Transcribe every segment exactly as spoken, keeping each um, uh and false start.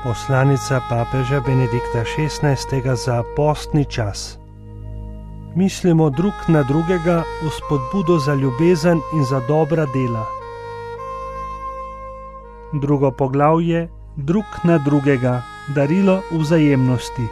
Poslanica papeža Benedikta šestnajstega za postni čas. Mislimo drug na drugega v spodbudo za ljubezen in za dobra dela. Drugo poglavje: drug na drugega, darilo vzajemnosti.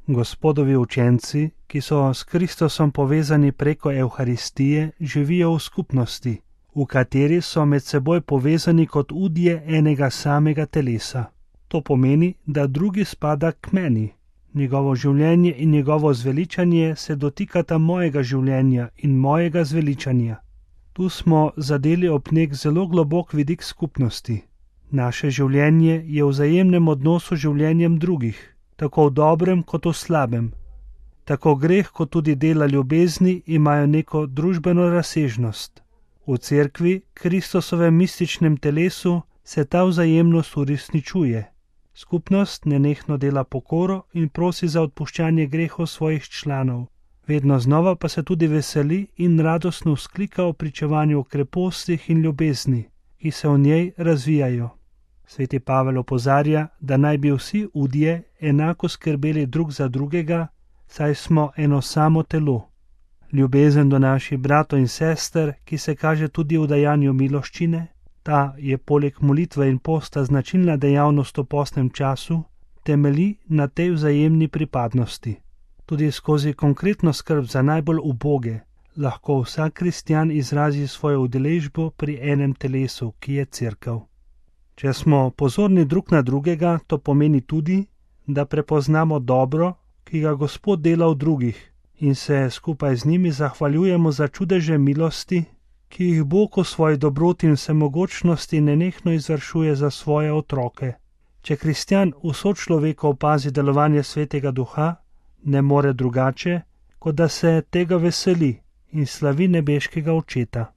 Gospodovi učenci, ki so s Kristusom povezani preko Evharistije, živijo v skupnosti, v kateri so med seboj povezani kot udje enega samega telesa. To pomeni, da drugi spada k meni. Njegovo življenje in njegovo zveličanje se dotikata mojega življenja in mojega zveličanja. Tu smo zadeli ob nek zelo globok vidik skupnosti. Naše življenje je v vzajemnem odnosu z življenjem drugih, tako v dobrem kot v slabem. Tako greh kot tudi dela ljubezni imajo neko družbeno razsežnost. V cerkvi, Kristusovem mističnem telesu, se ta vzajemnost uresničuje. Skupnost nenehno dela pokoro in prosi za odpuščanje grehov svojih članov. Vedno znova pa se tudi veseli in radostno vzklika o pričevanju o krepostih in ljubezni, ki se v njej razvijajo. Sveti Pavel opozarja, da naj bi vsi udje enako skrbeli drug za drugega, saj smo eno samo telo. Ljubezen do naših bratov in sester, ki se kaže tudi v dajanju miloščine, ta je poleg molitve in posta značilna dejavnost v postnem času, temelji na tej vzajemni pripadnosti. Tudi skozi konkretno skrb za najbolj uboge lahko vsak kristjan izrazi svojo udeležbo pri enem telesu, ki je cerkev. Če smo pozorni drug na drugega, to pomeni tudi, da prepoznamo dobro, ki ga Gospod dela v drugih, in se skupaj z njimi zahvaljujemo za čudeže milosti, ki jih Bog v svoji dobroti in vsemogočnosti nenehno izvršuje za svoje otroke. Če kristjan v sočloveku opazi delovanje Svetega Duha, ne more drugače, kot da se tega veseli in slavi nebeškega Očeta.